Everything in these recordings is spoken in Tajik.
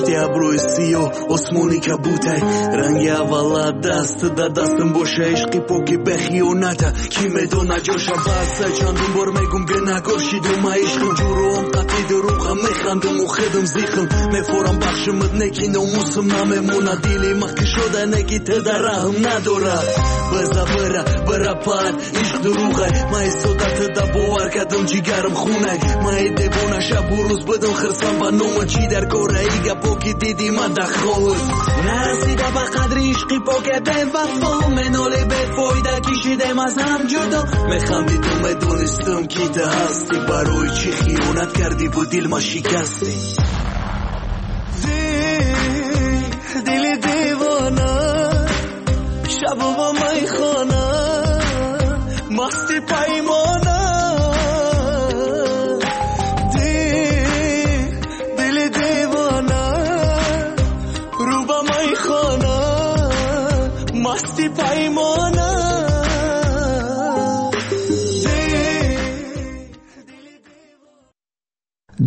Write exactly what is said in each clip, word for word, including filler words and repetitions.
Пушти абрӯи сиёҳ осмони кабутай, ранги аввала даст да дастам боша, ишқи поки бехиёната ки медона ҷоша. Баса чандум бор мегум гунагор шидум, ма ишқим ҷуроам қатъи дурӯға, механдуму худам зихм мефорам, бахшимат неки номусам намемона, дили ма кушода неки ту дар раҳм надорад. Биза бира бира пад ишқ дурӯғай, ма истода ту да бовар кардам, ҷигарам хунай, ма девона шабу рӯз будам хирсам ба нома, чӣ дар кораи гапо ки диди ма дар ховт нарасида ба қадри ишқи поке бевафо, меноли бефоида кишидем аз ҳам ҷудо, механдидум медонистам ки ту ҳастӣ, барои чӣ хиёнат кардиву дил ма шикастӣ. Дили девона шабу ба майхона масти паймона, дили девона рӯ ба майхона масти паймона.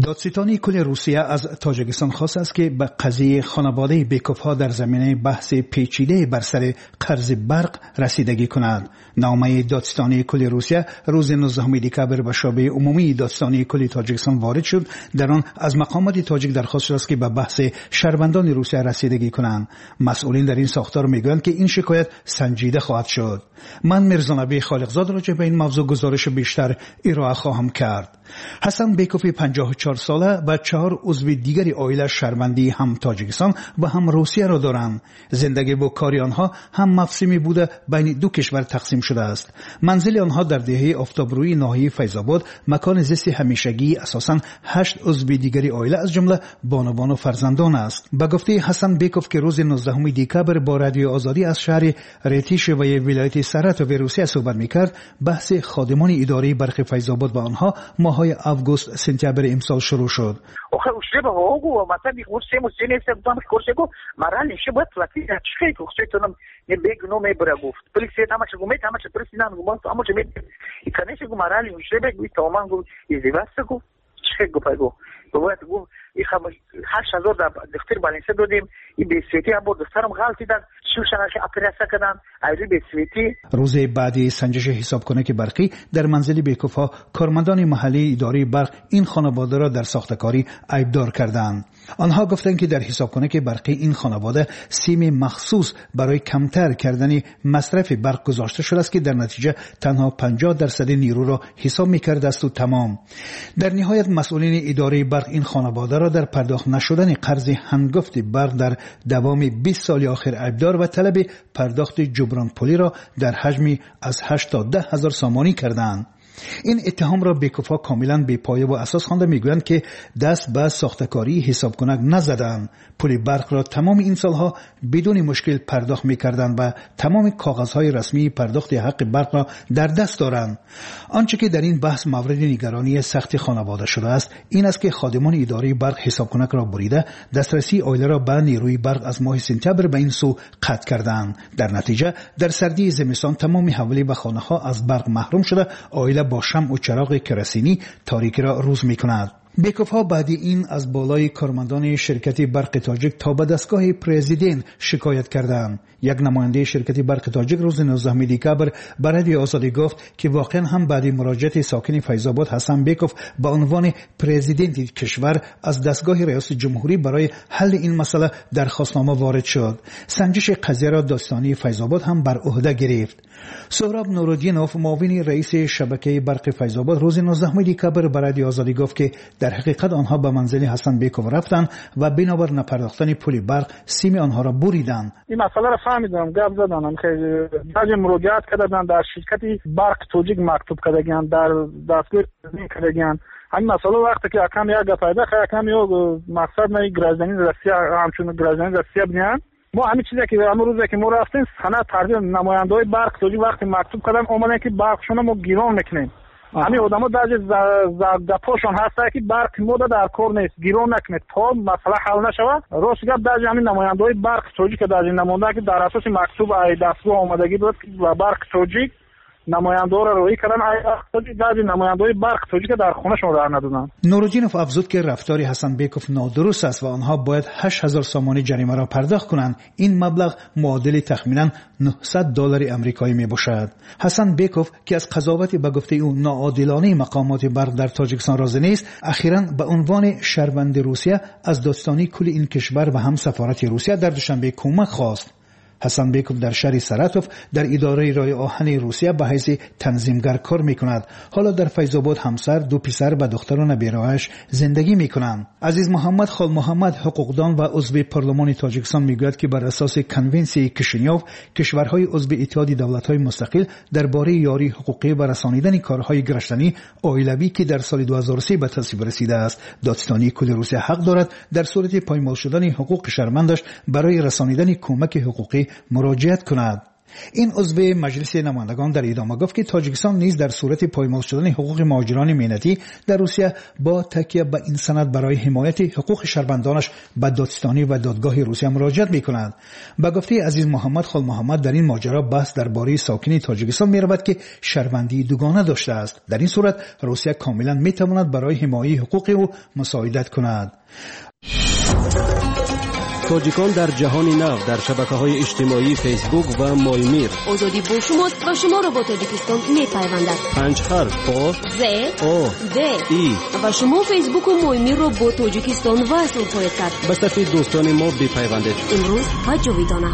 دادستانی کل روسیه از تاجیکستان خواست است که به قضیه خانواده بیکوفها در زمینه بحث پیچیده بر سر قرض برق رسیدگی کند. نامه دادستانی کل روسیه روز نوزدهم دکابر به شعبه عمومی دادستانی کل تاجیکستان وارد شد. در آن از مقامات تاجیک درخواست شده است که به بحث شهروندان روسیه رسیدگی کنند. مسئولین در این ساختار میگویند که این شکایت سنجیده خواهد شد. من میرزا خالقزاد راجع به این موضوع گزارش بیشتر ارائه خواهم کرد. حسن بیکوف پنجاه و چهار ساله و چهار عضو دیگر عائله شهروندی هم تاجیکستان و هم روسیه را دارند. زندگی و کار آنها هم مفسمی بوده بین دو کشور تقسیم شده است. منزل آنها در دهه آفتابروی ناحیه فیض‌آباد مکان زیست همیشگی اساساً هشت عضو دیگر عائله از جمله بانوان و فرزندان است. به گفته حسن بیکوف که روز نوزدهم دکابر با رادیو آزادی از شهر ریتیش و ولایت سراتوف روسیه صحبت میکرد، بحث خادمان اداره برق فیض‌آباد و آنها ماه‌های آگوست سپتامبر امسال شروع شد. روز بعدی سنجش حسابکنک برقی در منزل بیکوفها کارمندان محلی اداره برق این خانواده را در ساختکاری عیبدار کردند. آنها گفتند که در حسابکنک برقی این خانواده سیم مخصوص برای کمتر کردن مصرف برق گذاشته شده است که در نتیجه تنها پنجاه درصد نیرو را حساب می‌کرده است و تمام. در نهایت مسئولین اداره برق این خانواده را در پرداخت نشدن قرض هنگفت برق در دوام بیست سال آخر عیبدار و طلب پرداخت جبران پولی را در حجم از هشت تا ده هزار سامانی کردند. این اتهام را بیکوفها کاملا بی پایه و اساس خوانده میگویند که دست به ساختکاری حسابکنک نزدند. پول برق را تمام این سالها بدون مشکل پرداخت میکردند و تمام کاغذهای رسمی پرداخت حق برق را در دست دارند. آنچه که در این بحث مورد نگرانی سخت خانواده شده است این است که خادمان اداره برق حسابکنک را بریده دسترسی عائله را به نیروی برق از ماه سپتامبر به این سو قطع کردند. در نتیجه در سردی زمستان تمام حوالی و خانه ها از برق محروم شده، عائله با شمع و چراغ کرسینی تاریکی را روز می کند. بیکوفها بعد این از بالای کارمندان شرکت برق تاجیک تا به دستگاه پرزیدنت شکایت کردند. یک نماینده شرکت برق تاجیک روز نوزدهم دکابر به رادیو آزادی گفت که واقعا هم بعد مراجعت ساکن فیض‌آباد حسن بیکوف به عنوان پرزیدنت کشور از دستگاه ریاست جمهوری برای حل این مسئله درخواستنامه وارد شد. سنجش قضیه را دادستانی فیض‌آباد هم بر عهده گرفت. سهراب نورالدینوف معاون رئیس شبکه برق فیض‌آباد روز نوزدهم دکابر به رادیو آزادی گفت که در حقیقت آنها به منزل حسن بیکوف رفتند و بنابر نپرداختن پول برق سیم آنها را بریدند. این مسئله را فهمیدم، گپ زدن، خیلی بعضی مراجعت کردن در شرکت برق تاجیک مکتوب کردن، در دستگاه کردن. همین مسئله وقتی که اکم یک پیدا خیلی اکم یا مقصد نه گرازدنی روسیه همچون گرازدنی روسیه بودن. ما همین چیزی که امروز روزی که ما رفتیم سند ترجمه نماینده‌های برق تاجیک وقتی مکتوب کردن اومدن که برقشون ما گیران میکنیم. همین آدم‌ها در گپاشون هست که برق ما در کار نیست، گیران نکنه تا مسئله حل نشود. راست گپ در همین نماینده‌های برق تاجیک در این نماینده که در اساس مکتوب ای دستگاه آمدگی بود و برق تاجیک Намояндаҳоро роҳӣ карданд, баъзе намояндаҳои барқи тоҷика дар хонашон роҳ надоданд. Нуруддинов афзуд, ки рафтори Ҳасанбеков нодуруст аст ва онҳо бояд ҳашт ҳазор сомонӣ ҷаримаро пардохт кунанд. Ин маблағ муодили тахминан нӯҳсад доллари амрикоӣ мебошад. Ҳасанбеков, ки аз қазовати ба гуфтаи ӯ ноодилонаи мақомоти барқ дар Тоҷикистон розӣ нест, ахиран ба унвони шаҳрванди Русия аз додситонии кулли ин кишвар ва ҳам сафорати Русия дар Душанбе кӯмак хост. Ҳасанбеков дар шаҳри Саратов дар идораи роҳи оҳани Русия ба ҳайси танзимгар кор мекунад. Ҳоло дар Файзобод ҳамсар, ду писар ва духтару набераҳояш зиндагӣ мекунанд. Азиз Муҳаммад Холмуҳаммад, ҳуқуқдон ва узви парлумони Тоҷикистон, мегӯяд, ки бар асоси конвенсияи Кишинёв кишварҳои узви Иттиҳоди давлатҳои мустақил дар бораи ёрии ҳуқуқӣ ва расонидани корҳои гражданӣ оилавӣ, ки дар соли ду ҳазору се ба тасвиб расидааст, додситонии кулли Русия ҳақ дорад дар сурати поймол шудани ҳуқуқи шаҳрвандаш барои расонидани кӯмаки ҳуқуқӣ муроҷиат кунад. Ин узви Маҷлиси намояндагон дар идома гуфт, ки Тоҷикистон низ дар сурати поймол шудани ҳуқуқи муҳоҷирони меҳнатӣ дар Русия бо такя ба ин санад барои ҳимояти ҳуқуқи шаҳрвандонаш ба додситонӣ ва додгоҳи Русия муроҷиат мекунад. Ба гуфтаи Азиз Муҳаммад Холмуҳаммад, дар ин моҷаро баҳс дар бораи сокини Тоҷикистон меравад, ки шаҳрвандии дугона доштааст. Дар ин сурат Русия комилан метавонад барои ҳимояи ҳуқуқи ӯ мусоидат кунад. Тоҷикон дар ҷаҳони нав дар шабакаҳои иҷтимоии Фейсбук ва Моймир. Озодӣ бо шумост ва шуморо бо Тоҷикистон мепайвандад. Панҷ ҳарф О З О Д И ва шумо Фейсбуку Моймирро бо Тоҷикистон васл хоҳед кард. Ба сафи дӯстони мо бипайвандед. Имрӯз ва ҷовидона.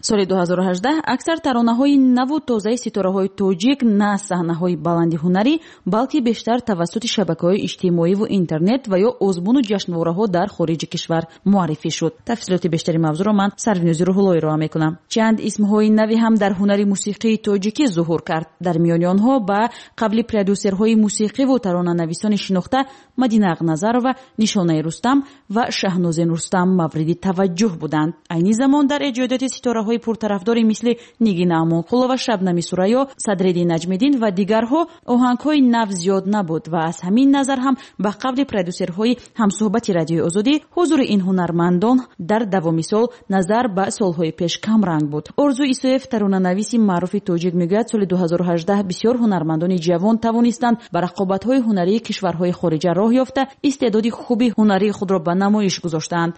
Соли ду ҳазору ҳаждаҳ аксар таронаҳои наву тозаи ситораҳои тоҷик на аз саҳнаҳои баланди ҳунарӣ, балки бештар тавассути шабакаҳои иҷтимоиву интернет ва ё озмуну ҷашнвораҳо дар хориҷи кишвар муаррифӣ шуд. Тафсилоти бештари мавзӯъро ман Сарвинози Рӯҳулло ироа мекунам. Чанд исмҳои нави ҳам дар ҳунари мусиқии тоҷикӣ зуҳур кард. Дар миёни онҳо ба қавли продюсерҳои мусиқиву таронанависони шинохта Мадина Ағназарова, Нишонаи Рустам ва Шаҳнозин Рустам мавриди таваҷҷӯҳ буданд. Айни замон дар эҷодиёти ситораҳои пуртарафдори мисли Нигина Амонқулова, Шабнами Сурайё, Садриддин Наҷмиддин ва дигарҳо оҳангҳои нав зиёд набуд ва аз ҳамин назар ҳам ба қавли продюсерҳои ҳамсӯҳбати Радиои Озодӣ ҳузури ин ҳунармандон дар давоми сол назар ба солҳои пеш камранг буд. Орзу Исоев, таронанависи маъруфи тоҷик, мегӯяд соли ду ҳазору ҳаждаҳ бисёр ҳунармандони ҷавон тавонистанд ба рақобатҳои ҳунарии кишварҳои хориҷа роҳ ёфта, истеъдоди хуби ҳунарии худро ба намоиш гузоштаанд.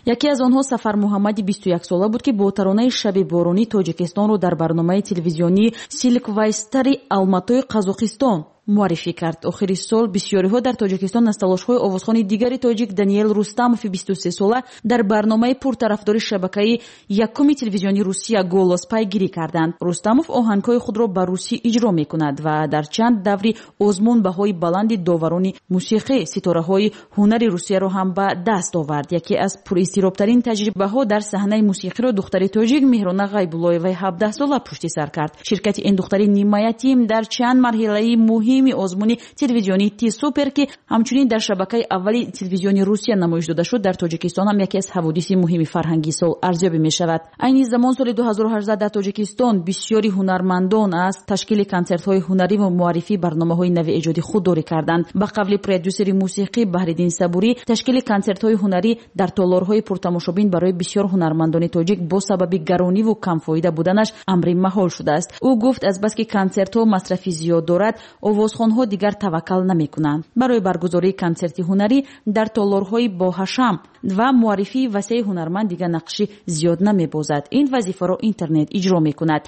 Яке аз онҳо Сафар Муҳаммади бисту яксола буд, ки бо таронаи Шаби боронӣ Тоҷикистонро дар барномаи телевизионии Силквайстари Алматои Қазоқистон муаррифӣ кард. Охири сол бисёриҳо дар Тоҷикистон аз талошҳои овозхони дигари тоҷик Даниэл Рустамови бисту сесола дар барномаи пуртарафдори шабакаи якуми телевизиони Русия Голос пайгирӣ карданд. Рустамов оҳангҳои худро ба русӣ иҷро мекунад ва дар чанд даври озмун баҳои баланди доварони мусиқӣ ситораҳои ҳунари Русияро ҳам ба даст овард. Яке аз пуризтиробтарин таҷрибаҳо дар саҳнаи мусиқиро духтари тоҷик Меҳрона Ғайбуллоеваи ҳабдаҳсола пушти сар кард. Ширкати ин духтари нимаятим дар чанд марҳилаи муҳим озмуни телевизионии Ти-Супер, ки ҳамчунин дар шабакаи аввали телевизиони Русия намоиш дода шуд, дар Тоҷикистон ҳам яке аз ҳаводиси муҳими фарҳангии сол арзёбӣ мешавад. Айни замон соли ду ҳазору ҳаждаҳ дар Тоҷикистон бисёри ҳунармандон аз ташкили консертҳои ҳунарӣ ва муаррифии барномаҳои нави эҷодӣ худдорӣ карданд. Ба қавли продюсери мусиқӣ Баҳриддин Сабурӣ, ташкили консертҳои ҳунарӣ дар толорҳои пуртамошобин барои бисёр ҳунармандони тоҷик бо сабаби гарониву камфоида буданаш амри маҳол шудааст. Ӯ гуфт, азбаски консертҳо масрафи зиёд дорад, овозхонҳо дигар таваккал намекунанд. Барои баргузории консерти ҳунарӣ дар толорҳои боҳашам ва муаррифии васеи ҳунарманд дигар нақши зиёд намебозад. Ин вазифаро интернет иҷро мекунад.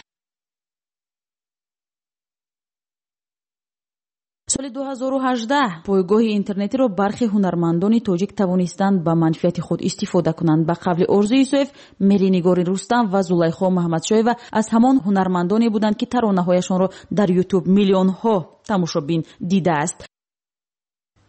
Соли ду ҳазору ҳаждаҳ пойгоҳи интернетиро бархи ҳунармандони тоҷик тавонистанд ба манфиати худ истифода кунанд. Ба қавли Орзу Исоев, Меринигори Рустам ва Зулайхо Маҳмадшоева аз ҳамон ҳунармандоне буданд, ки таронаҳояшонро дар Ютуб миллионҳо тамошобин дидааст.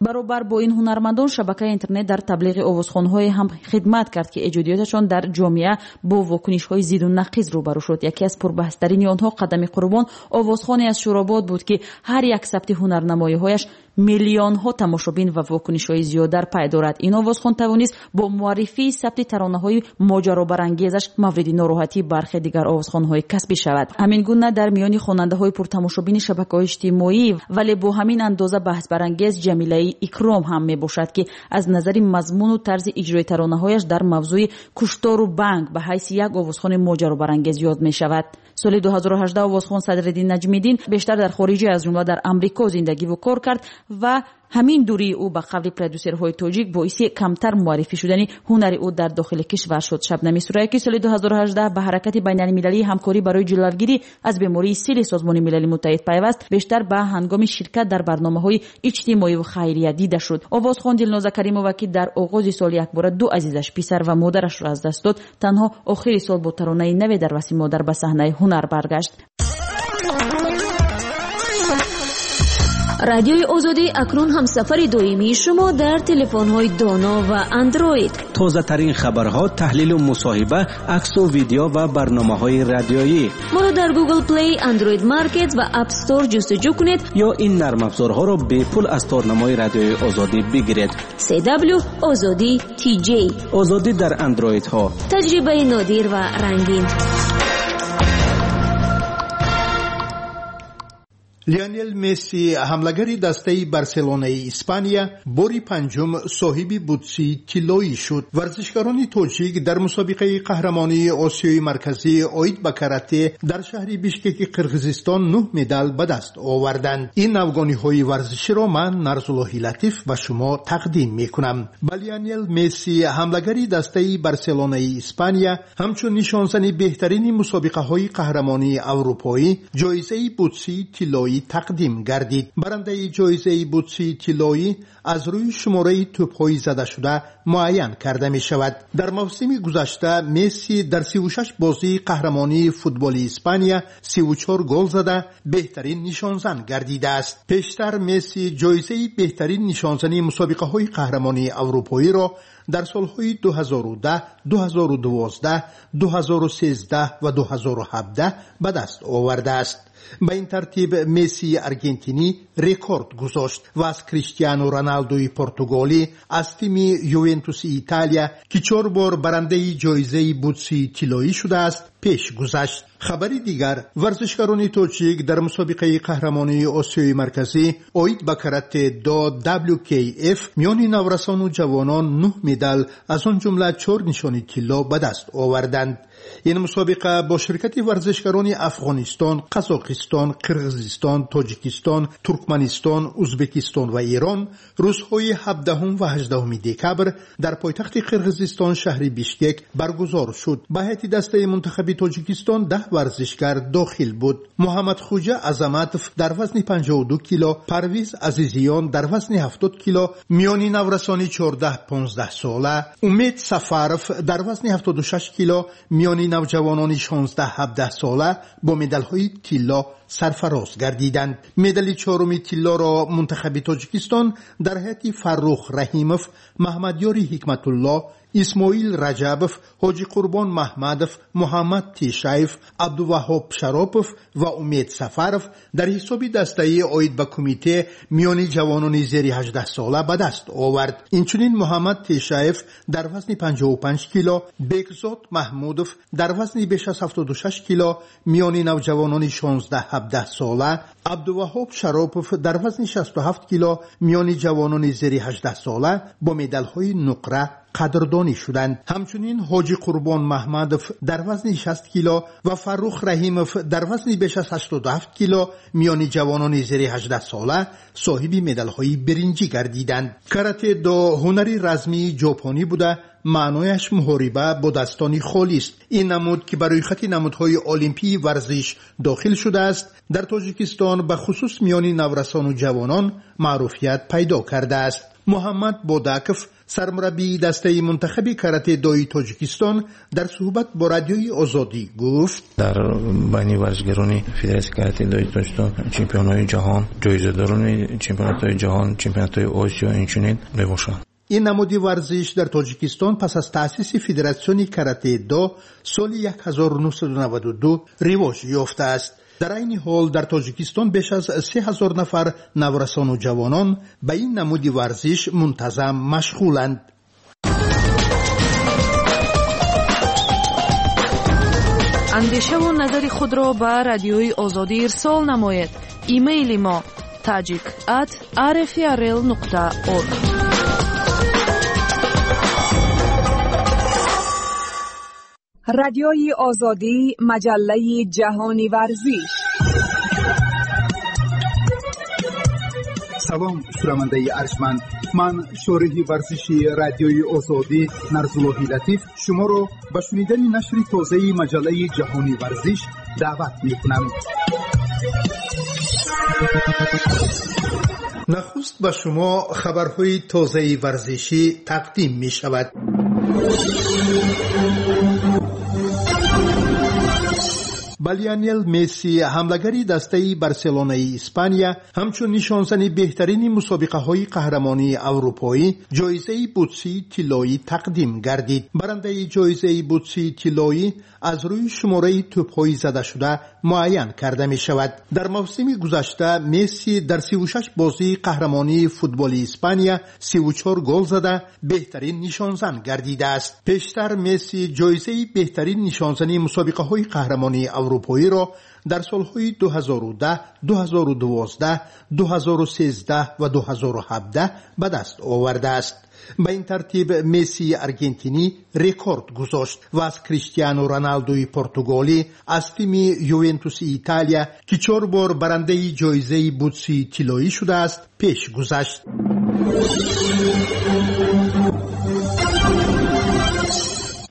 Баробар бо ин ҳунармандон шабакаи интернет дар таблиғи овозхонҳое ҳам хидмат кард, ки эҷодиёташон дар ҷомеа бо вокунишҳои зиду нақиз рӯбарӯ шуд. Яке аз пурбаҳстарини онҳо Қадами Қурбон, овозхоне аз Шӯробод буд, ки ҳар як сабти ҳунарнамоиҳояш Миллионҳо тамошобин ва вокунишҳои зиёд дар пай дорад. Ин овозхон тавонист бо муаррифии сабти таронаҳои моҷаробарангезаш мавриди нороҳатии бархе дигар овозхонҳои касбӣ шавад. Ҳамин гуна дар миёни хонандаҳои пуртамошобини шабакаҳои иҷтимоӣ, вале бо ҳамин андоза баҳсбарангез Ҷамилаи Икром ҳам мебошад, ки аз назари мазмуну тарзи иҷрои таронаҳояш дар мавзӯи куштору банк ба ҳайси як овозхони моҷаробарангез ёд мешавад. Соли ду ҳазору ҳаждаҳ овозхон Садриддин Наҷмиддин бештар дар хориҷа, аз ҷумла дар Амрико зиндагиву кор кард ва ҳамин дурии ӯ ба қавли продюсерҳои тоҷик боиси камтар муаррифӣ шудани ҳунари ӯ дар дохили кишвар шуд. Шабнами Сурайё, ки соли ду ҳазору ҳаждаҳ ба ҳаракати байналмилалии ҳамкорӣ барои ҷилавгирӣ аз бемории сили Созмони Милали Муттаҳид пайваст, бештар ба ҳангоми ширкат дар барномаҳои иҷтимоӣ ва хайрия дида шуд. Овозхон Дилноза Каримова, ки дар оғози сол якбора ду азизаш, писар ва модарашро аз даст дод, танҳо охири сол бо таронаи наве дар васфи модар ба саҳнаи ҳунар баргашт. Радиои Озодӣ акнун ҳамсафари доимии шумо дар телефонҳои доно ва андроид. Тозатарин хабарҳо, таҳлилу мусоҳиба, аксу видео ва барномаҳои радиоӣ. Моро дар Google Play, Android Market ва App Store ҷустуҷӯ кунед ё ин нармафзорҳоро бепул аз торнамои Радиои Озодӣ бигиред. си дабл ю Озодӣ ти ҷей. Озодӣ дар андроидҳо. Таҷрибаи нодир ва рангин. Лионел Месси, ҳамлагари дастаи Барселонаи Испания, бори панҷум соҳиби бутсии тиллоӣ шуд. Варзишгарони тоҷик дар мусобиқаи қаҳрамонии Осиёи Марказӣ оид ба карате дар шаҳри Бишкеки Қирғизистон нӯҳ медал ба даст оварданд. Ин навгониҳои варзиширо ман, Нарзуллоҳи Латиф, ба шумо тақдим мекунам. Ба Лионел Месси, ҳамлагари дастаи Барселонаи Испания, ҳамчун нишонзани беҳтарини мусобиқаҳои қаҳрамонии аврупоӣ ҷоизаи бутсии тиллоӣ тақдим гардид. Барандаи ҷоизаи бутсии тиллоӣ аз рӯи шумораи тӯбҳои задашуда муайян карда мешавад. Дар мавсими гузашта Месси дар сиву шаш бозии қаҳрамонии футболи Испания сиву чор гол зада беҳтарин нишонзан гардидааст. Пештар Месси ҷоизаи беҳтарин нишонзани мусобиқаҳои қаҳрамонии аврупоиро дар солҳои ду ҳазору даҳ, ду ҳазору дувоздаҳ, ду ҳазору сездаҳ ва ду ҳазору ҳабдаҳ ба даст овардааст. Ба ин тартиб Мессии аргентинӣ рекорд гузошт ва аз Криштиану Роналдуи португолӣ, аз тими Ювентуси Италия, ки чор бор барандаи ҷоизаи бутсии тиллоӣ шудааст, пеш гузашт. Хабари дигар: варзишгарони тоҷик дар мусобиқаи қаҳрамонии Осиёи Марказӣ оид ба карате до дабл ю кей эф миёни наврасону ҷавонон нӯҳ медал, аз он ҷумла чор нишони тилло ба даст оварданд. Ин мусобиқа бо ширкати варзишгарони Афғонистон, Қазоқистон, Қирғизистон, Тоҷикистон, Туркманистон, Узбекистон ва Эрон рӯзҳои ҳабдаҳум ва ҳаждаҳуми декабр дар пойтахти Қирғизистон шаҳри Бишкек баргузор шуд. Ба ҳайати дастаи мунтахаби Тоҷикистон даҳ варзишгар дохил буд. Муҳаммадхуҷа Азаматов дар вазни панҷоҳу ду кило, Парвиз Азизиён дар вазни ҳафтод кило, миёни наврасони чордаҳ понздаҳ сола, Умед Сафаров дар вазни ҳафтоду шаш кило, миёни навҷавонони шонздаҳ ҳабдаҳ сола бо медалҳои тилло сарфароз гардиданд. Медали чоруми тиллоро мунтахаби Тоҷикистон дар ҳайати Фаррух Раҳимов, Маҳмадёри Ҳикматулло, Исмоил Раҷабов, Ҳоҷи Қурбон Маҳмадов, Муҳаммад Тешаев, Абдуваҳҳоб Шаропов ва Умед Сафаров дар ҳисоби дастаи оид ба кумите миёни ҷавонони зери ҳаждаҳ сола ба даст овард. Инчунин Муҳаммад Тешаев дар вазни панҷоҳу панҷ кило, Бекзод Маҳмудов дар вазни беш аз ҳафтоду шаш кило миёни навҷавонони шонздаҳ ҳабдаҳ сола, Абдуваҳҳоб Шаропов дар вазни шасту ҳафт кило миёни ҷавонони зери ҳаждаҳ сола бо медалҳои нуқра қадрдонӣ шуданд. Ҳамчунин Ҳоҷи Қурбон Маҳмадов дар вазни шаст кило ва Фаррух Раҳимов дар вазни беш аз ҳаштоду ҳафт кило миёни ҷавонони зери ҳаждаҳ сола соҳиби медалҳои биринҷӣ гардиданд. Карате до ҳунари размии ҷопонӣ буда, маънояш муҳориба бо дастони холист. Ин намуд, ки ба рӯйхати намудҳои олимпии варзиш дохил шудааст, дар Тоҷикистон ба хусус миёни наврасону ҷавонон маъруфият пайдо кардааст. Муҳаммад Бодаков, сармураббии дастаи мунтахаби карате-дои Тоҷикистон, дар суҳбат бо Радиои Озодӣ гуфт: дар байни варзишгарони Федератсияи карате-дои Тоҷикистон чемпионҳои ҷаҳон, ҷоизадорони чемпионатҳои ҷаҳон, чемпионатҳои Осиё инчунин мебошанд. Ин намуди варзиш дар Тоҷикистон пас аз таъсиси Федератсиони карате-до соли як ҳазору нӯҳсаду наваду ду ривоҷ ёфтааст. Дар айни ҳол дар Тоҷикистон беш аз се ҳазор нафар наврасону ҷавонон ба ин намуди варзиш мунтазам машғуланд. Андешаву назари худро ба Радиои Озодӣ ирсол намоед. Имейли мо tajik at rfrl нуқта org. Радиои Озодӣ, маҷаллаи ҷаҳони варзиш. Салом, шунавандаи арҷманд. Ман шориҳи варзиши Радиои Озодӣ Нарзуллоҳи Латиф шуморо ба шунидани нашри тозаи маҷаллаи ҷаҳони варзиш даъват мекунам. Нахуст ба шумо хабарҳои тозаи варзишӣ тақдим мешавад. Ба Лионел Месси, ҳамлагари дастаи Барселонаи Испания, ҳамчун нишонзани беҳтарини мусобиқаҳои қаҳрамонии аврупоӣ ҷоизаи бутсии тиллоӣ тақдим гардид. Барандаи ҷоизаи бутсии тиллоӣ аз рӯи шумораи тӯбҳои задашуда муайян карда мешавад. Дар мавсими гузашта Месси дар сиву шаш бозии қаҳрамонии футболи Испания сиву чор гол зада беҳтарин нишонзан гардидааст. Пештар Месси ҷоизаи беҳтарин нишонзани мусобиқаҳои қаҳрамонии аврупоиро дар солҳои ду ҳазору даҳ, ду ҳазору дувоздаҳ, ду ҳазору сездаҳ ва ду ҳазору ҳабдаҳ ба даст овардааст. Ба ин тартиб Мессии аргентинӣ рекорд гузошт ва аз Криштиану Роналдуи португолӣ, аз тими Ювентуси Италия, ки чор бор барандаи ҷоизаи бутсии тиллоӣ шудааст, пеш гузашт.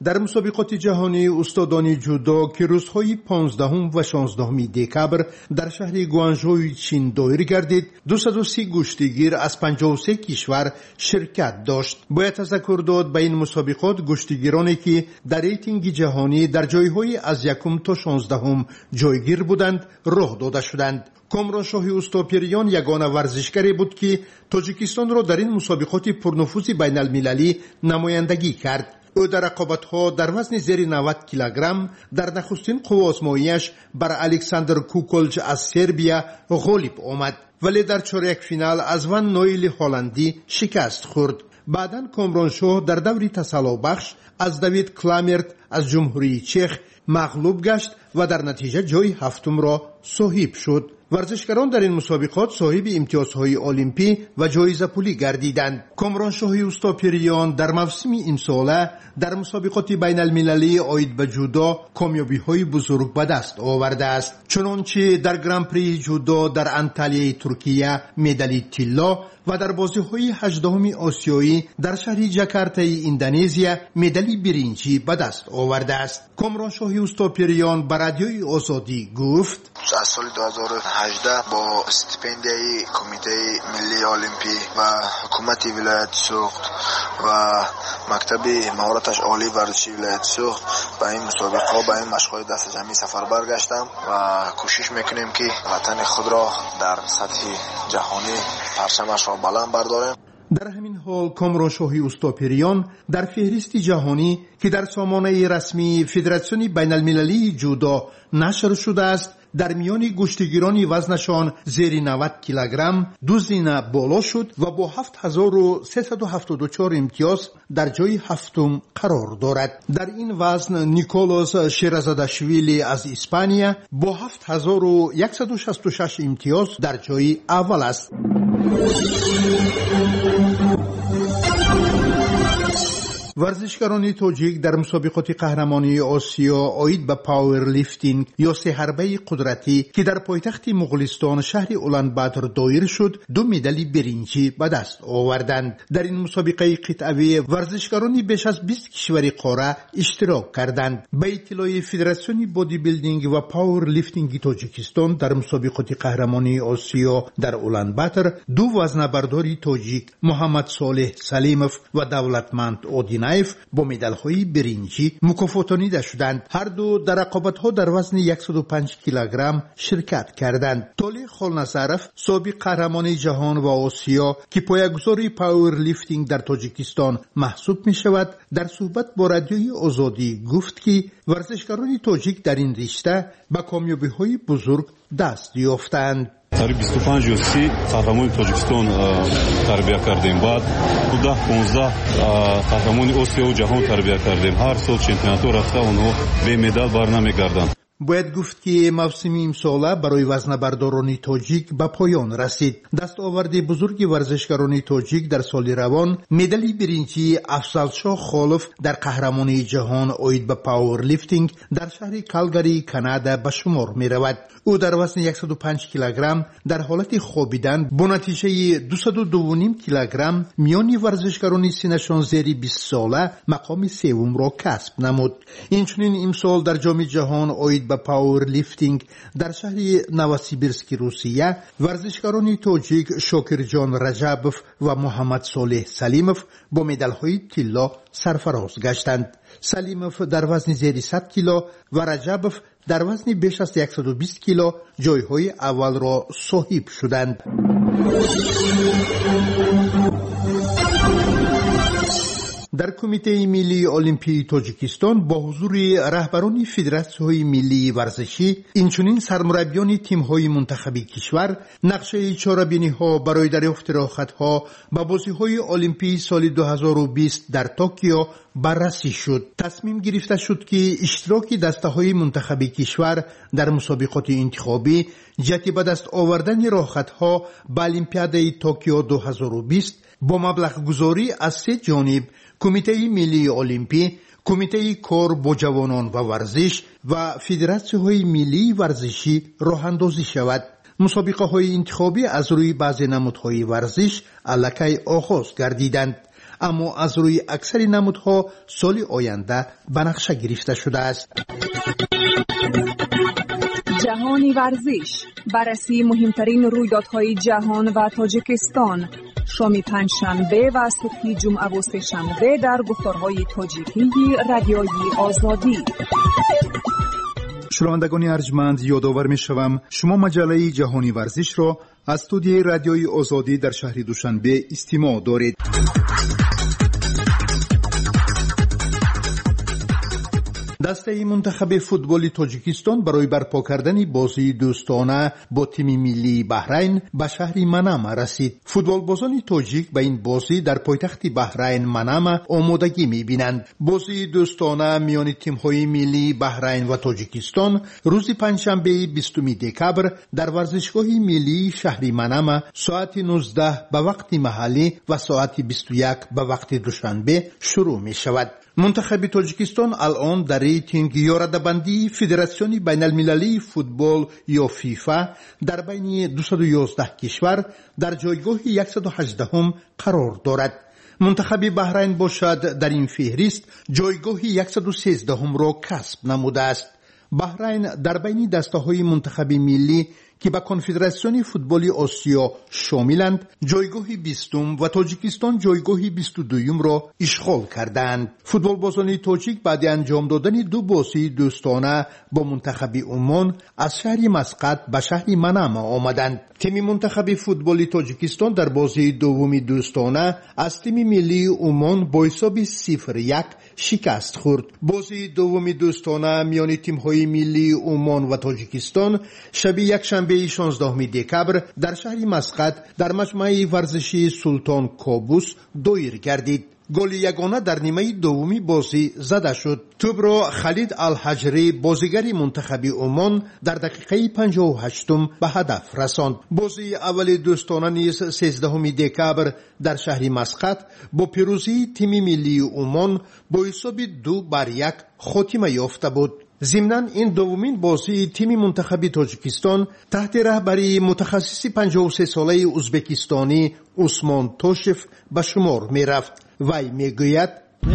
Дар мусобиқоти ҷаҳонии устодони ҷудо, ки рӯзҳои понздаҳум ва шонздаҳуми декабр дар шаҳри Гуанжои Чин доир гардид, дусаду си гӯштигир аз панҷоҳу се кишвар ширкат дошт. Бояд тазаккур дод, ба ин мусобиқот гӯштигироне, ки дар рейтинги ҷаҳонӣ дар ҷойҳои аз якум то шонздаҳум ҷойгир буданд, роҳ дода шуданд. Комроншоҳи Устопириён ягона варзишгаре буд, ки Тоҷикистонро дар ин мусобиқоти пурнуфузи байналмилалӣ намояндагӣ кард. Ӯ дар рақобатҳо дар вазни зери навад килограмм дар нахустин қувваозмоияш бар Александр Куколҷ аз Сербия ғолиб омад, вале дар чорякфинал аз Ван Ноили ҳолландӣ шикаст хӯрд. Баъдан Комроншоҳ дар даври тасаллобахш аз Давид Кламерт аз Ҷумҳурии Чех мағлуб гашт ва дар натиҷа ҷойи ҳафтумро соҳиб шуд. Варзишгарон дар ин мусобиқот соҳиби имтиёзҳои олимпӣ ва ҷоизапулӣ гардиданд. Комроншоҳи Устопириён дар мавсими имсола дар мусобиқоти байналмилалии оид ба ҷудо комёбиҳои бузург ба даст овардааст. Чунончи дар гран-прии ҷудо дар Анталияи Туркия медали тилло ва дар бозиҳои ҳаждаҳуми осиёӣ дар шаҳри Ҷакартаи Индонезия медали биринҷӣ ба даст овардааст. Комроншоҳи Устопириён ба Радиои Озодӣ гуфт: аз соли ду ҳазору ҳаждаҳ бо стипендияи Кумитаи миллии олимпӣ ва ҳукумати вилояти Суғд ва мактаби маҳораташ олии варзишии вилояти Суғд ба ин мусобиқаҳо, ба ин машқҳои дастаҷамъӣ сафарбар гаштам ва кӯшиш мекунем, ки ватани худро дар сатҳи ҷаҳонӣ парчамашро баланд бардорем. Дар ҳамин ҳол Комроншоҳи Устопириён дар феҳристи ҷаҳонӣ, ки дар сомонаи расмии Федератсиони байналмилалии ҷудо нашр шудааст, дар миёни гӯштигирони вазнашон зери навад килограмм ду зина боло шуд ва бо ҳафт ҳазору сесаду ҳафтоду чор имтиёз дар ҷойи ҳафтум қарор дорад. Дар ин вазн Николос Шеразадашвили аз Испания бо ҳафт ҳазору яксаду шасту шаш имтиёз дар ҷойи аввал аст. Варзишгарони тоҷик дар мусобиқоти қаҳрамонии Осиё оид ба пауэрлифтинг ё сеҳарбаи қудратӣ, ки дар пойтахти Муғулистон шаҳри Уланбатор доир шуд, ду медали биринҷӣ ба даст оварданд. Дар ин мусобиқаи қитъавӣ варзишгарони беш аз бист кишвари қора иштирок карданд. Ба иттилои Федератсиони бодибилдинг ва пауэрлифтинги Тоҷикистон дар мусобиқоти қаҳрамонии Осиё дар Уланбатор ду вазнабардори тоҷик Муҳаммад Солеҳ Салимов ва Давлатманд Одинов Гинаев бо медалҳои биринҷӣ мукофотонида шуданд. Ҳар ду дар рақобатҳо дар вазни яксаду панҷ килограмм ширкат карданд. Толеъ Холназаров, собиқ қаҳрамони ҷаҳон ва Осиё, ки поягузори пауэрлифтинг дар Тоҷикистон маҳсуб мешавад, дар суҳбат бо Радиои Озодӣ гуфт, ки варзишгарони тоҷик дар ин ришта ба комёбиҳои бузург даст ёфтаанд. Қариб бисту панҷ ё си қаҳрамони Тоҷикистон тарбия кардем. Баъд даҳ понздаҳ қаҳрамони Осиёву ҷаҳон тарбия кардем. Ҳар сол чемпионатҳо рафта онҳо бе медал бар намегарданд. Бояд гуфт, ки мавсими имсола барои вазнабардорони тоҷик ба поён расид. Дастоварди бузурги варзишгарони тоҷик дар соли равон медали биринҷии Афзалшоҳ Холов дар қаҳрамонии ҷаҳон оид ба пауэрлифтинг дар шаҳри Калгарии Канада ба шумор меравад. Ӯ дар вазни яксаду панҷ килограмм дар ҳолати хобидан бо натиҷаи дусаду дувуним килограмм миёни варзишгарони синашон зери бист сола мақоми севумро касб намуд. Инчунин имсол дар Ҷоми ҷаҳон оид ба пауэрлифтинг дар шаҳри Новосибирски Русия варзишгарони тоҷик Шокирҷон Раҷабов ва Муҳаммад Солеҳ Салимов бо медалҳои тилло сарфароз гаштанд. Салимов дар вазни зери сад кило ва Раҷабов дар вазни беш аз яксаду бист кило ҷойҳои аввалро соҳиб шуданд. Дар Кумитаи миллии Олимпии Тоҷикистон бо ҳузури раҳбарони федератсияҳои миллии варзишӣ, инчунин сармураббиёни тимҳои мунтахаби кишвар нақшаи чорабиниҳо барои дарёфти роҳхатҳо ба бозиҳои Олимпии соли дуҳазору бист дар Токио баррасӣ шуд. Тасмим гирифта шуд, ки иштироки дастаҳои мунтахаби кишвар дар мусобиқоти интихобӣ ҷиҳати ба даст овардани роҳхатҳо ба Олимпиадаи Токио дуҳазору бист бо маблағгузорӣ аз се ҷониб Кумитаи миллии Олимпӣ, Кумитаи кор бо ҷавонон ва варзиш ва федератсияҳои миллии варзишӣ роҳандозӣ шавад. Мусобиқаҳои интихобӣ аз рӯи баъзе намудҳои варзиш аллакай оғоз гардиданд, аммо аз рӯи аксари намудҳо соли оянда ба нақша гирифта шудааст. Ҷаҳони варзиш, баррасии муҳимтарин рӯйдодҳои ҷаҳон ва Тоҷикистон. Шоми панҷшанбе ва субҳи ҷумъаву сешанбе дар гуфторҳои тоҷикии Радиои Озодӣ. Шунавандагони арҷманд, ёдовар мешавам, шумо маҷаллаи Ҷаҳони варзишро аз студияи Радиои Озодӣ дар шаҳри Душанбе истимоъ доред. Дастаи мунтахаби футболи Тоҷикистон барои барпо кардани бозии дӯстона бо тими миллии Баҳрайн ба шаҳри Манама расид. Футболбозони тоҷик ба ин бозӣ дар пойтахти Баҳрайн Манама омодагӣ мебинанд. Бозии дӯстона миёни тимҳои миллии Баҳрайн ва Тоҷикистон рӯзи панҷшанбеи бистуми декабр дар варзишгоҳи миллии шаҳри Манама соати нуздаҳ ба вақти маҳаллӣ ва соати бисту як ба вақти Душанбе шурӯъ мешавад. Мунтахаби Тоҷикистон алон дар рейтинг ё радабандии Федератсиони байналмилалии футбол ё ФИФА дар байни дусаду ёздаҳ кишвар дар ҷойгоҳи яксаду ҳаждаҳум қарор дорад. Мунтахаби Баҳрайн бошад дар ин феҳрист ҷойгоҳи яксаду сездаҳумро касб намудааст. Баҳрайн дар байни дастаҳои мунтахаби миллӣ, ки ба Конфедератсиони футболи Осиё шомиланд, ҷойгоҳи бистум ва Тоҷикистон ҷойгоҳи бисту дуюмро ишғол кардаанд. Футболбозони тоҷик баъди анҷом додани ду бозии дӯстона бо мунтахаби Умон аз шаҳри Масқат ба шаҳри Манама омаданд. Тими мунтахаби футболи Тоҷикистон дар бозии дуввуми дӯстона аз тими миллии Умон бо ҳисоби сифр як шикаст хӯрд. Бозии дуввуми дӯстона миёни тимҳои миллии Умон ва Тоҷикистон шаби якшанбеи шонздаҳуми декабр дар шаҳри Масқат дар маҷмӯаи варзишии Султон Кобус доир гардид. Голи ягона дар нимаи дуввуми бозӣ зада шуд. Тӯбро Халид Алҳаҷрӣ, бозигари мунтахаби Умон, дар дақиқаи панҷоҳу ҳаштум ба ҳадаф расонд. Бозии аввали дӯстона низ сездаҳуми декабр дар шаҳри Масқат бо пирӯзии тими миллии Умон бо ҳисоби ду бар як хотима ёфта буд. Зимнан ин дуввумин бозии тими мунтахаби Тоҷикистон таҳти раҳбарии мутахассиси панҷоҳу сесолаи узбекистонӣ Усмон Тошев ба шумор мерафт. Вай мегӯяд: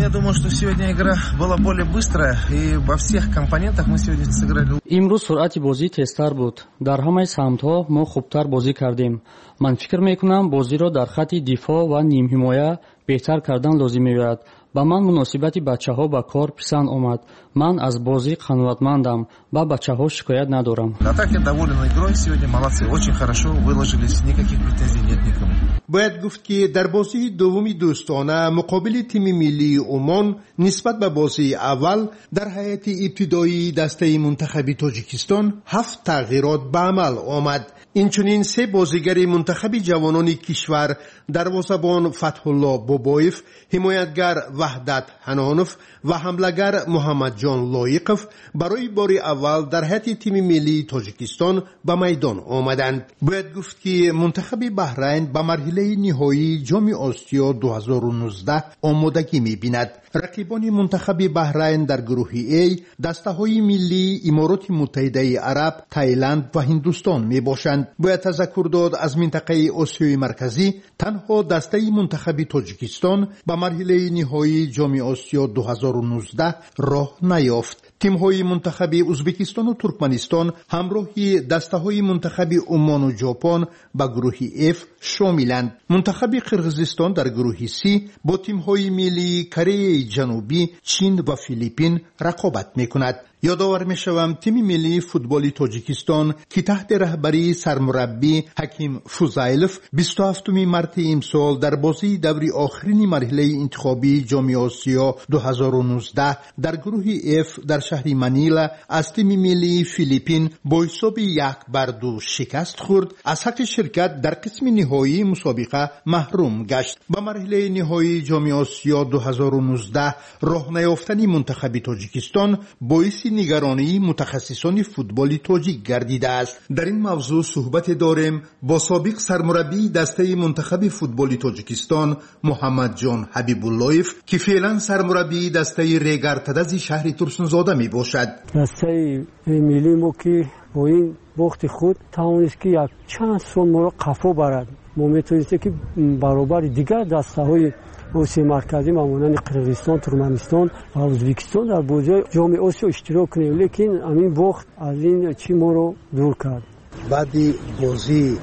Я думаю, что сегодня игра была более быстрая, и во всех компонентах мы сегодня сыграли. Имрӯз суръати бозӣ тезтар буд. Дар ҳамаи самтҳо мо хубтар бозӣ кардем. Ман фикр мекунам, бозиро дар хатти дифоъ ва нимҳимоя беҳтар кардан лозим меояд. Ба ман муносибати бачаҳо ба кор писанд омад. Ман аз бозӣ қаноатмандам, ба бачаҳо шикоят надорам. А так я доволен игрой сегодня, молодцы, очень хорошо выложились, никаких претензий нет никому. Бояд гуфт, ки дар бозии дуввуми дӯстона муқобили тими миллии Умон нисбат ба бозии аввал дар ҳайати ибтидоии дастаи мунтахаби Тоҷикистон ҳафт тағйирот ба амал омад. Инчунин се бозигари мунтахаби ҷавонони кишвар, дарвозабон Фатҳулло Бобоев, ҳимоятгар Ваҳдат Ҳанонов ва ҳамлагар Муҳаммадҷон Лоиқов барои бори аввал дар ҳайати тими миллии Тоҷикистон ба майдон омаданд. Бояд гуфт, ки мунтахаби Баҳрайн ба марҳилаи ниҳоии Ҷоми Осиё ду ҳазору нуздаҳ омодагӣ мебинад. Рақибони мунтахаби Баҳрайн дар гурӯҳи А дастаҳои миллии Имороти Муттаҳидаи Араб, Таиланд ва Ҳиндустон мебошанд. Бояд тазаккур дод, аз минтақаи Осиёи Марказӣ танҳо дастаи мунтахаби Тоҷикистон ба марҳилаи ниҳоии Ҷоми Осиё ду ҳазору нуздаҳ роҳ наёфт. Тимҳои мунтахаби Ӯзбекистону Туркманистон ҳамроҳи дастаҳои мунтахаби Умону Ҷопон ба гурӯҳи Ф шомиланд. Мунтахаби Қирғизистон дар гурӯҳи С бо тимҳои миллии Кореяи Ҷанубӣ, Чин ва Филиппин рақобат мекунад. Ёдовар мешавам, тими миллии футболи Тоҷикистон, ки таҳти раҳбарии сармураббӣ Ҳаким Фузайлов бисту ҳафтуми марти имсол дар бозии даври охирини марҳилаи интихобии Ҷоми Осиё ду ҳазору нуздаҳ дар гурӯҳи Ф дар шаҳри Манила аз тими миллии Филиппин бо ҳисоби як бар ду шикаст хӯрд, аз ҳаққи ширкат дар қисми ниҳоии мусобиқа маҳрум гашт. Ба марҳилаи ниҳоии Ҷоми Осиё ду ҳазору нуздаҳ роҳ наёфтани мунтахаби Тоҷикистон боиси нигаронии мутахассисони футболи тоҷик гардидааст. Дар ин мавзӯъ суҳбате дорем бо собиқ сармураббии дастаи мунтахаби футболи Тоҷикистон Муҳаммадҷон Ҳабибуллоев, ки феълан сармураббии дастаи Регар-Тадази шаҳри Турсунзода мебошад. Дастаи миллии мо, ки бо ин бохти худ тавонист, ки як чанд сол моро қафо барад. Мо метавонистем, ки баробари дигар дастаҳои Осиёи Марказӣ ба монанди Қирғизистон, Туркманистон ва Ӯзбекистон дар бозиҳои Ҷоми Осиё иштирок кунем, лекин ҳамин бохт аз ин чӣ моро дур кард. Баъди бозии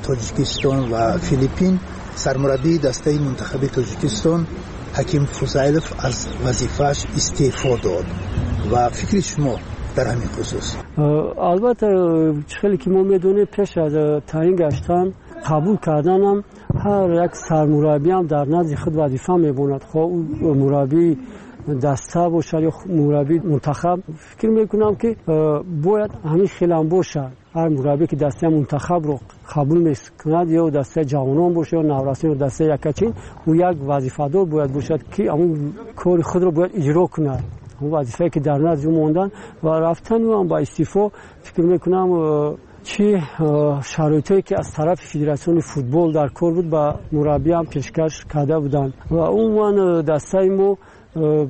Тоҷикистон ва Филиппин сармураббии дастаи мунтахаби Тоҷикистон Ҳаким Фузайлов аз вазифааш истеъфо дод ва фикри шумо дар ҳамин хусус? Албатта, чӣ хеле ки мо медонем, пеш аз таъин гаштан қабул карданам ҳар як сармураббиам дар назди худ вазифа мебонад, хоҳ ӯ мураббии даста бошад ё мураббии мунтахаб. Фикр мекунам, ки бояд ҳамин хелам бошад. Ҳар мураббие, ки дастаи мунтахабро қабул мекунад, ё дастаи ҷавонон бошад, ё наврасон, ё дастаи якачин, ӯ як вазифадор бояд бошад, ки ҳамун кори худро бояд иҷро кунад. Он вазифае, ки дар назди ӯ монданд ва рафтани ӯ ҳам ба истеъфо, фикр мекунам, чӣ шароитое, ки аз тарафи федератсиони футбол дар кор буд, ба мураббиам пешкаш карда буданд. Ва умуман дастаи мо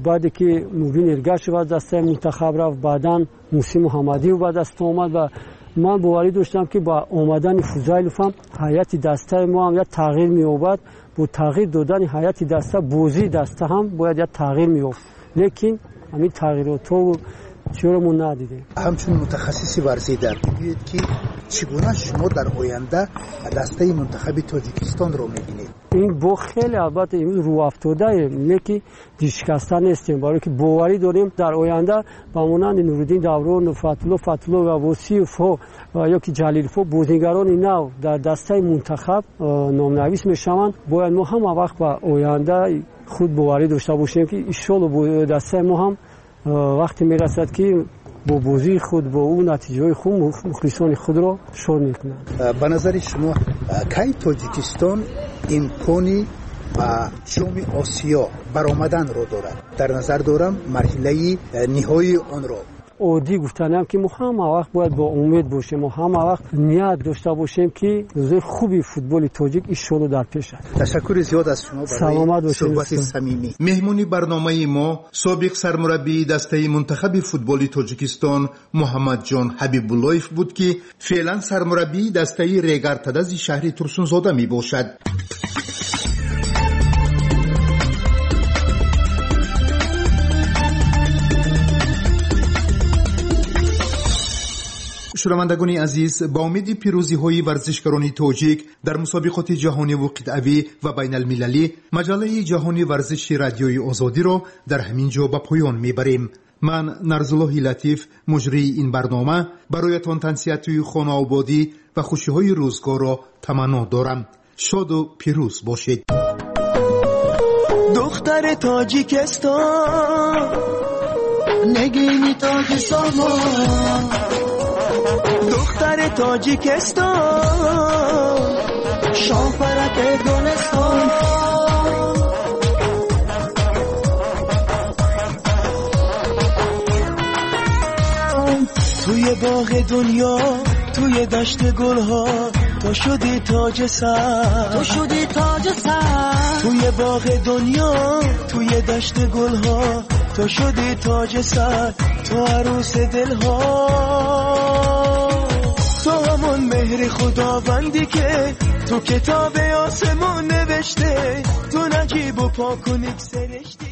баъде ки Мубин Эргашев аз дастаи мунтахаб рафт, баъдан Муҳсин Муҳаммадиев ба даст омад ва ман боварӣ доштам, ки ба омадани Фузайлов ҳам ҳайати дастаи мо ҳам як тағйир меёбад. Бо тағйир додани ҳайати даста, бозии даста ҳам бояд як тағйир меёфт, лекин ҳамин тағйиротҳо чиро мо надидем. Ҳамчун мутахассиси варзида бигӯед, ки чӣ гуна шумо дар оянда дастаи мунтахаби Тоҷикистонро мебинед? Ин бо хеле албатта имрӯз рӯафтодаем, лекин дилшикаста нестем, барое ки боварӣ дорем дар оянда ба монанди Нуриддин Давронов, Фатулло Фатулло ва Восиевҳо ё ки Ҷалиловҳо бозигарони нав дар дастаи мунтахаб номнавис мешаванд. Бояд мо ҳама вақт ба оянда худ боварӣ дошта бошем, ки иншолло дастаи мо ҳам вақте мерасад, ки бо бозии худ, бо ӯ натиҷаҳои хуб мухлисони худро шод мекунанд. Ба назари шумо кай Тоҷикистон имкони ба Ҷоми Осиё баромаданро дорад? Дар назар дорам марҳилаи ниҳоии онро. Оддӣ гуфтанам, ки мо ҳама вақт бояд бо умед бошем, мо ҳама вақт ният дошта бошем, ки рӯзои хуби футболи тоҷик иншолло дар пеш аст. Ташаккури зиёд аз шумо барои суҳбати самимӣ. Меҳмони барномаи мо собиқ сармураббии дастаи мунтахаби футболи Тоҷикистон Муҳаммадҷон Ҳабибуллоев буд, ки феълан сармураббии дастаи Регар-Тадази шаҳри Турсунзода мебошад. Шунавандагони азиз, ба умеди пирӯзиҳои варзишгарони тоҷик дар мусобиқоти ҷаҳониву қитъавӣ ва байналмилалӣ, маҷаллаи ҷаҳони варзиши Радиои Озодиро дар ҳамин ҷо ба поён мебарем. Ман Нарзуллоҳи Латиф, муҷрии ин барнома, бароятон тансиҳатии хонаободӣ ва хушиҳои рӯзгорро таманно дорам. Шоду пирӯз бошед. Духтари Тоҷикистон, нигини тоҷи сомон, духтари Тоҷикистон, шоҳпараки гулистон. توی باغ دنیا، توی دشت گلها، تو شدی تاج سر، تو شدی تاج سر. توی باغ دنیا، توی دشت گلها، تو شدی تاج سر، تو عروس دلها. تو همون مهر خداوندی که تو کتاب آسمون نوشته، تو نجیب و پاک و نیک سرشتی.